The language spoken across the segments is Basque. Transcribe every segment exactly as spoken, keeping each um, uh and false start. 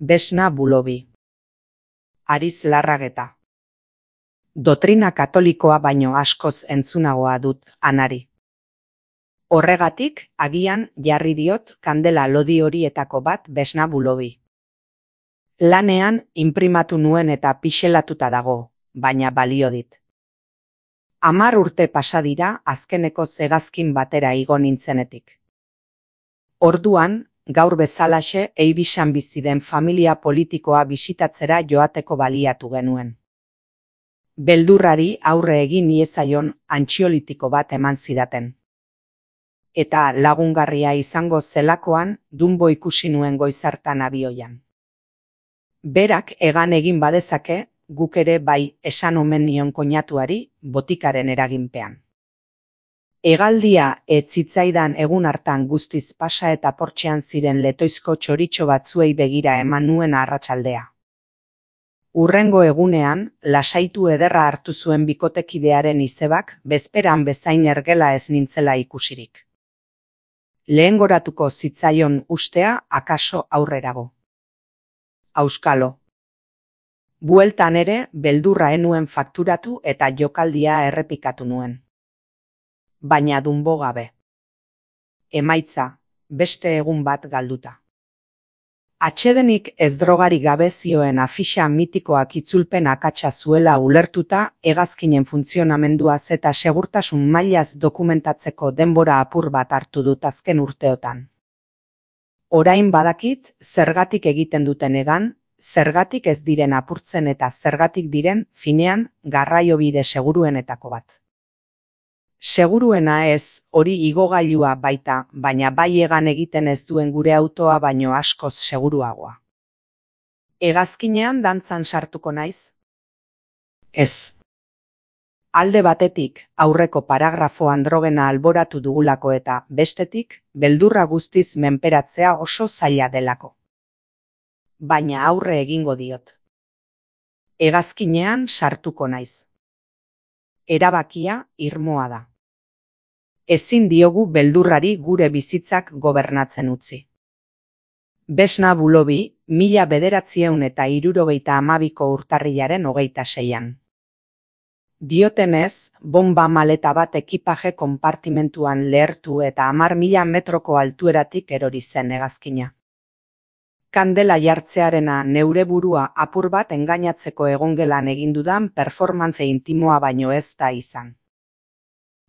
Vesna Bulobi. Ariz Larrageta. Dotrina katolikoa baino askoz entzunagoa dut anari. Horregatik, agian jarri diot kandela lodi horietako bat Vesna Bulobi. Lanean inprimatu nuen eta pixelatuta dago, baina balio dit. Hamar urte pasa dira azkeneko hegazkin batera igo nintzenetik. Orduan, gaur bezalaxe Eibisan bizi den familia politikoa bisitatzera joateko baliatu genuen. Beldurrari aurre egin iezaion antxiolitiko bat eman zidaten. Eta lagungarria izango zelakoan Dumbo ikusi nuen goizartan abioian. Berak egan egin badezake, guk ere bai esan omen nion koinatuari botikaren eraginpean. Hegaldia ez zitzaidan egun hartan guztiz pasa eta portxean ziren letoizko txoritxo batzuei begira eman nuen arratsaldea. Hurrengo egunean, lasaitu ederra hartu zuen bikotekidearen izebak bezperan bezain ergela ez nintzela ikusirik. Lehengoratuko zitzaion ustea akaso aurrerago. Auskalo. Bueltan ere, beldurra enuen fakturatu eta jokaldia errepikatu nuen. Baina Dumbo gabe. Emaitza, beste egun bat galduta. Atsedenik ez drogari gabe zioen afixa mitikoak itzulpen akatsa zuela ulertuta hegazkinen funtzionamenduaz eta segurtasun mailaz dokumentatzeko denbora apur bat hartu dut azken urteotan. Orain badakit zergatik egiten duten egan, zergatik ez diren apurtzen eta zergatik diren finean garraiobide seguruenetako bat. Seguruena ez, hori igogailua baita, baina bai egan egiten ez duen gure autoa baino askoz seguruagoa. Hegazkinean dantzan sartuko naiz? Ez. Alde batetik, aurreko paragrafoan drogena alboratu dugulako eta, bestetik, beldurra guztiz menperatzea oso zaila delako. Baina aurre egingo diot. Hegazkinean sartuko naiz. Erabakia irmoa da. Ezin diogu beldurrari gure bizitzak gobernatzen utzi. Vesna Bulobi, mila bederatziehun eta hirurogeita hamabiko urtarrilaren hogeita seian. Diotenez, bomba maleta bat ekipaje konpartimentuan lehertu eta hamar mila metroko altueratik erori zen hegazkina. Kandela jartzearena neure burua apur bat engainatzeko egongelan egindudan performance intimoa baino ez da izan.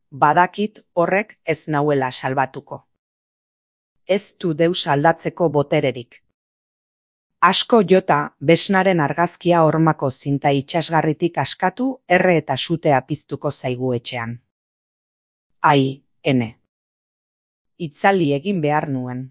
Badakit horrek ez nauela salbatuko. Ez du deus aldatzeko botererik. Asko jota, Vesnaren argazkia hormako zinta itxasgarritik askatu, erre eta sutea piztuko zaigu etxean. Ai, ene. Itzali egin behar nuen.